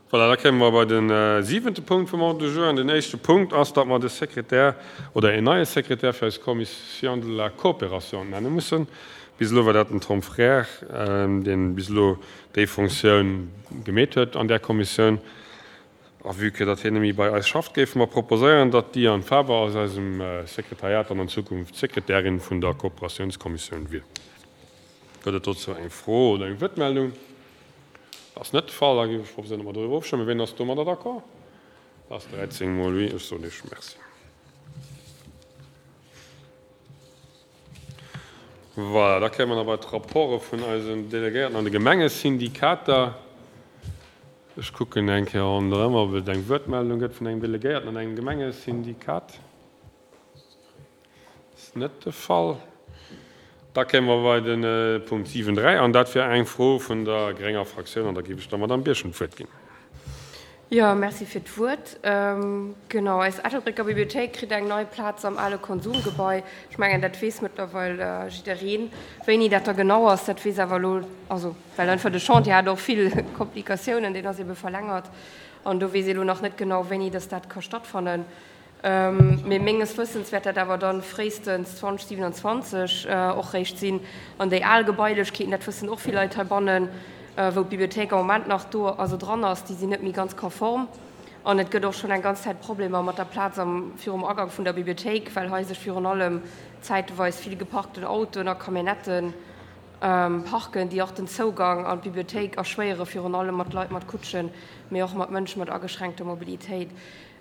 Voilà, da kéime mer bei de siwente Punkt vum Ordre du jour. An den éischte Punkt ass, datt mer de Sekretär oder een neie Sekretär fir eis Commission de la Coopération nenne mussen. Bis elo war dat den Tom Frères, deen bis elo déi Fonctioun gemeet huet an där Kommissioun. A vue que datt hien net méi bei eis schafft, géife mer proposéieren, datt d'Diane Faber aus eisem Sekretariat dann an Zukunft Sekretärin vun der Kooperatiounskommissioun wier. Gëtt et dozou eng Fro oder eng Wuertmeldung? Dat ass net de Fall. Da géif ech proposéieren, datt mer doriwwer ofstëmmen. Wien ass domadder d'accord? Dat ass 13 mol oui. Ech soen Iech Merci. Voilà, da kéime mer nach bei d'Rapporte vun eisen Delegéierten an de Gemengesyndikater. Ech kucken eng Kéier ronderëm, ob et eng Wuertmeldung gëtt vun engem Delegéierten an engem Gemengesyndikat. Ass net de Fall. Da kéime mer bei de Punkt 7, 3, an dat wier eng Fro vun der grénger Fraktioun, an da géif ech der Madamm Birchen d'Wuert ginn. Jo, merci fir d'Wuert. Genau, eis Ettelbrécker Bibliothéik kritt eng nei Plaz am ale Konsumgebai. Ech mengen, dat weess mëttlerweil jiddereen. Wéini dat da genau ass, dat weess awer elo, also well einfach de Chantier hat och vill Komplikatiounen, deen ass ebe verlängert an do weess ee elo nach net genau, wéini dass dat ka stattfannen. Mee menges Wëssens wäert dat awer dann fréistens 2027 och réischt sinn. An déi al Gebailechkeeten, dat wëssen och vill Leit heibannen, wou d'Bibliothéik am Moment nach do, also dran ass, déi sinn net méi ganz konform. An et gëtt och schonn eng ganz Zäit Problemer mat der Plaz am, virum Agank vun der Bibliothéik, well hei sech virun allem zäiteweis vill geparkten Autoen a Camionnetten parken, déi och den Zougang an d'Bibliothéik erschwéieren, virun allem mat Leit mat Kutschen, mee och mat Mënsche mat ageschränkter Mobilitéit.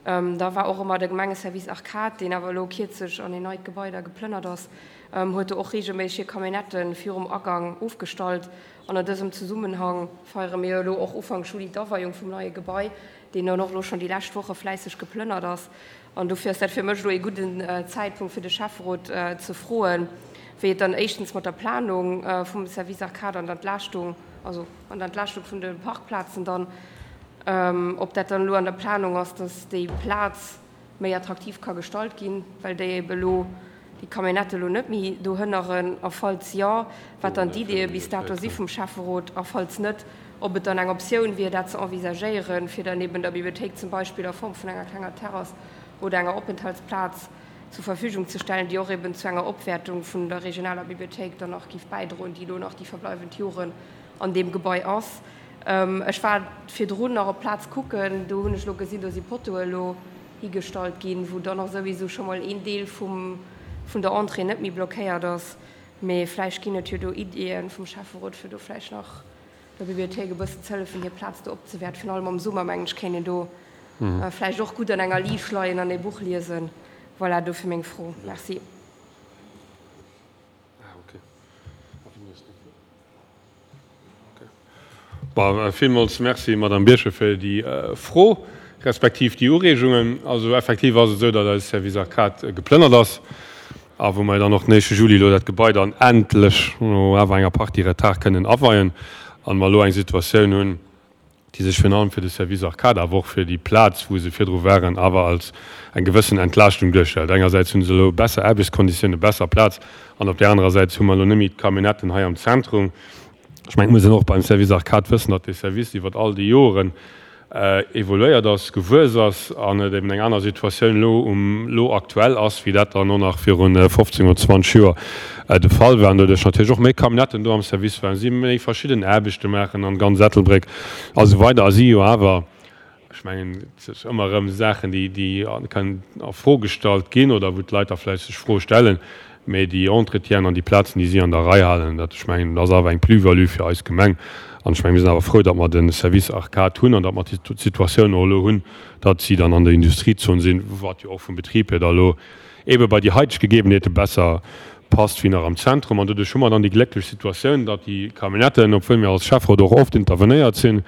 Da war och ëmmer de Gemengeservice Arcade, deen awer elo kierzlech an een neit Gebai da geplënnert ass, huet do och reegelméisseg hir Camionnette virum Agang ofgestallt. An an dësem Zesummenhang feiere mir elo och Ufank Juli d'Aweiung vum neie Gebai, deen dann och elo schonn déi lescht Woche fläisseg geplënnert ass. An dofir ass dat fir mech elo ee gudden Zäitpunkt, fir de Schäfferot ze froen, wéi et dann éischtens mat der Planung vum Service Arcade an der Entlaaschtung, also an der Entlaaschtung vun de Parkplazen dann, Ob dat dann elo an der Planung ass, dass déi Plaz méi attraktiv ka gestalt ginn, well déi ebe elo, déi Camionnette elo net méi do hënneren, a falls jo, wat dann d'Ideeë bis dato si vum Schäfferot, a falls net, ob et dann eng Optioun wier, dat ze envisagéieren, fir dann eben der Bibliothéik zum Beispill a Form vun enger klenger Terrass oder enger Openthaltsplaz zur Verfügung ze stellen, déi och eben zu enger Opwäertung vun der regionaler Bibliothéik dann nach géif bäidroen, déi elo nach déi verbleiwend Joren an deem Gebai ass. Ech war virdrun nach op d'Plaz kucken, do hunn ech elo gesinn, do si Pottoe elo higestallt ginn, wou dann och souwisou scho mol een Deel vum, vun der Entrée net méi blockéiert ass. Mee vläicht ginn et jo do Iddien vum Schäfferot, fir do vläicht nach der Bibliothéik e bëssen ze hëllefen, hir Plaz do opzewäerten. Virun allem am Summer, mengen ech, kéint een do vläicht och gutt an enger Liicht leien an ee Buch liesen. Voilà, dofir meng Fro. Merci. Villmools Merci, Madamm Birchen, fir déi Fro respektiv déi Ureegungen. Also effektiv ass et esou, datt eise Service Arcade geplënnert ass a wou mer dann och den éischte Juli elo dat Gebai dann endlech no awer enger Partie Retard kënnen aweien an mer elo eng Situatioun hunn, déi sech virun allem fir de Service Arcade, awer och fir déi Plaz, wou se virdru waren, awer als eng gewëssen Entlaaschtung duerstellt. Engersäits hu se elo besser Aarbechtskonditiounen, besser Plaz, an op där anerer Säit hu mer elo net méi d'Camionnetten hei am Zentrum. Ech mengen, et muss een och beim Service Arcade wëssen, datt dee Service iwwer all déi Joren evoluéiert ass, gewuess ass an et eben eng aner Situatioun elo um elo aktuell ass, wéi dat dann och nach viru 15 oder 20 Joer de Fall war. An doduerch natierlech och méi Camionnetten do am Service waren, si méi verschidden Aarbechte maachen an ganz Ettelbréck a sou weider. A si jo awer, ech mengen, et ass ëmmer erëm Saachen, déi déi kënnen a Fro gestallt ginn oder wou d'Leit da vläicht sech Froe stellen, Mee déi Entretienen an déi Plazen, déi si an der Rei halen, dat, ech mengen, dat ass awer eng Plus-value fir eis Gemeng. An ech mengen, mir sinn awer frou, datt mer de Service Arcade hunn an datt mer d'Situatioun och elo hunn, datt si dann an der Industriezon sinn, wat jo och vum Betrib hier da elo eebe bei déi haiteg Gegebenheete besser passt wéi nach am Zentrum. An doduerch hu mer dann déi glécklech Situatioun, datt déi Camionnetten, obwuel mir als Schäfferot och oft intervenéiert sinn,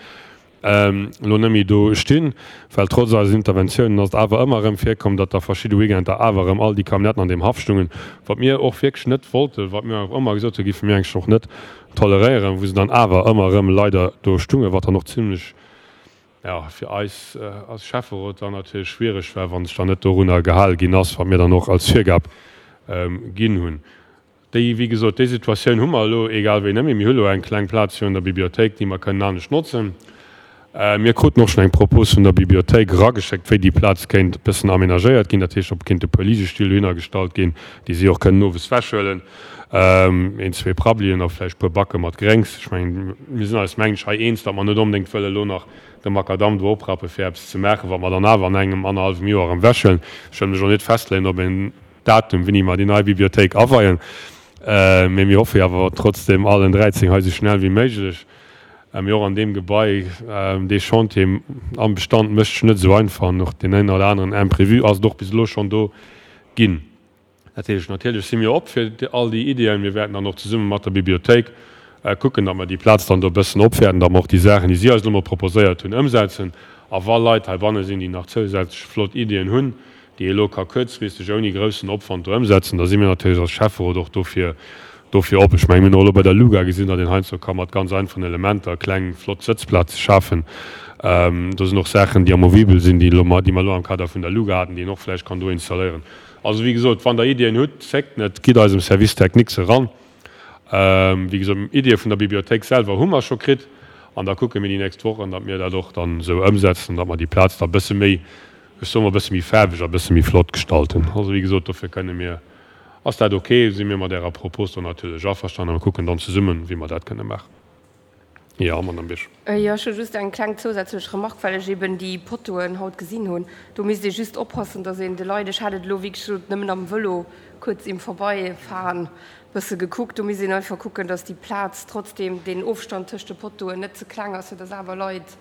elo net méi do stinn, well trotz eisen Interventiounen ass et awer ëmmer erëm virkomm, datt da verschidde Weekender awer erëm all déi Camionnetten an deem Haff stungen, wat mir och wierklech net wollten, wat mir och ëmmer gesot hunn, géife mir eigentlech och net toleréieren, wou se dann awer ëmmer erëm leider do stungen, wat dann och zimlech, jo, fir eis als Schäfferot dann natierlech schwiereg war, wa sech dann net dorunner gehale ginn ass, wat mir dann och als Virgab ginn hunn. Déi, wéi gesot, déi Situatioun hu mer elo egal wéi net méi. Mir hu elo eng kleng Plaz virun der Bibliothéik, déi mer kënnen anescht notzen. Mir kruten och schonn eng Propos vun der Bibliothéik erageschéckt, wéi déi Plaz kéint e bëssen amenagéiert ginn. Dat heescht, ob kéinte e puer Ligestill dohinner gestallt ginn, déi si och kënnen owes ewechhuelen, een, zwee Prabbelien a vläicht e puer Backe mat Gréngs. Ech mengen, mir sinn eis, mengen ech, hei eens, datt mer net onbedéngt wëlle elo nach de Makadamm do oprappe fir eppes ze maachen, wat mer dann awer an engem, annerhallwem Joer erëm ewechhuelen. Ech wëll mech och net festleeën op en Datum, wéini mer déi nei Bibliothéik aweien, mee mir hoffe jo awer trotzdem allen 13 hei esou schnell wéi méiglech. Mee och an deem Gebai, dee Chantier am Bestand mécht sech net esou einfach an och deen een oder aneren Imprévu ass et och bis elo schonn do ginn. Dat heescht, natierlech si mir op fir all déi Iddien. Mir wäerten dann och zesumme mat der Bibliothéik kucken, datt mer déi Plaz dann do e bëssen opwäerten, datt mer och déi Saachen, déi si eis elo mol proposéiert hunn, ëmsetzen. A wa Leit heibanne sinn, déi nach zousätzlech flott Iddien hunn, déi ee elo ka kuerzfristeg ouni groussen Opwand do ëmsetzen, da si mir natierlech als Schäfferot och dofir, dofir op. Ech mengen, mir hunn och elo bei der LUGA gesinn, datt een heiansdo ka mat ganz einfachen Elementer kleng flott Sëtzplaze schafen. Do sinn och Saachen, déi amovibel sinn, déi elo mer, déi mer elo am Kader vun der LUGA haten, déi een och vläicht kann do installéieren. Also, wéi gesot, wann Der Iddien hutt, zéckt net, gitt eisem Service technique se eran. Wéi gesot, Iddie vun der Bibliothéik selwer hu mer scho kritt an da kucke mir déi nächst Wochen, datt mir dat och dann esou ëmsetzen, datt mer déi Plaz da e bësse méi, ech soe mol, e bësse méi faarweg a bësse méi flott gestalten. Also, wéi gesot, dofir kënne mir, ass dat ok, si mir mat Ärer Propos do natierlech averstanen a mir kucken dann zesummen, wéi mer dat kënne maachen. Jo, Madame Birchen. Jo, ech hu just eng kleng zousätzlech Remarque, well ech eben déi Pottoen haut gesinn hunn. Do misst ee just oppassen, datt een de Leit, ech hat et elo wéi gesot nëmmen am Vëlo kuerz im Vorbeifahren bësse gekuckt, do misst een einfach kucken, datt déi Plaz trotzdem, deen Ofstand tëscht de Pottoen net ze kleng ass, fir datt awer Leit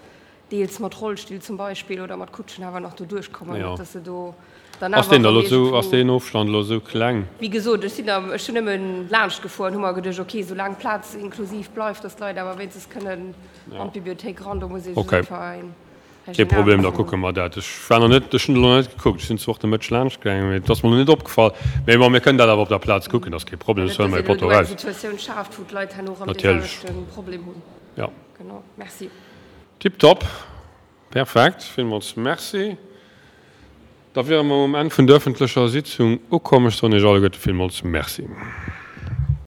deels mat Rollstill zum Beispill oder mat Kutschen awer nach do duerchkommen, net dass se do dann awer erëm iergendwou. Ass deen Ofstand elo esou kleng? Wéi gesot, ech sinn am, ech hunn nëmmen laanscht gefuer an hu mer geduecht, ok, soulaang d'Plaz inklusiv bleift, dass d'Leit awer wéinstens kënnen an d'Bibliothéik eran, do muss ee just einfach een Kee Regional Problem, da kucke mer dat. Ech war nach net, ech hunn elo nach net gekuckt, ech sinn zwar och de Mëtteg laanscht gaangen, mee et ass mer elo net opgefall. Mee bon, mir kënnen dat awer op der Plaz kucken, dat ass kee Problem, ech huele mer ee Potto eraus. Net, dass een elo do eng Situatioun schaaft, wou d'Leit herno erëm dee selwechte Problem hunn. Jo. Genau, merci. Tiptop, perfekt, villmools Merci. Da wiere mer um Enn vun der öffentlecher Sitzung ukomm. Ech soen Iech alleguerte villmools Merci.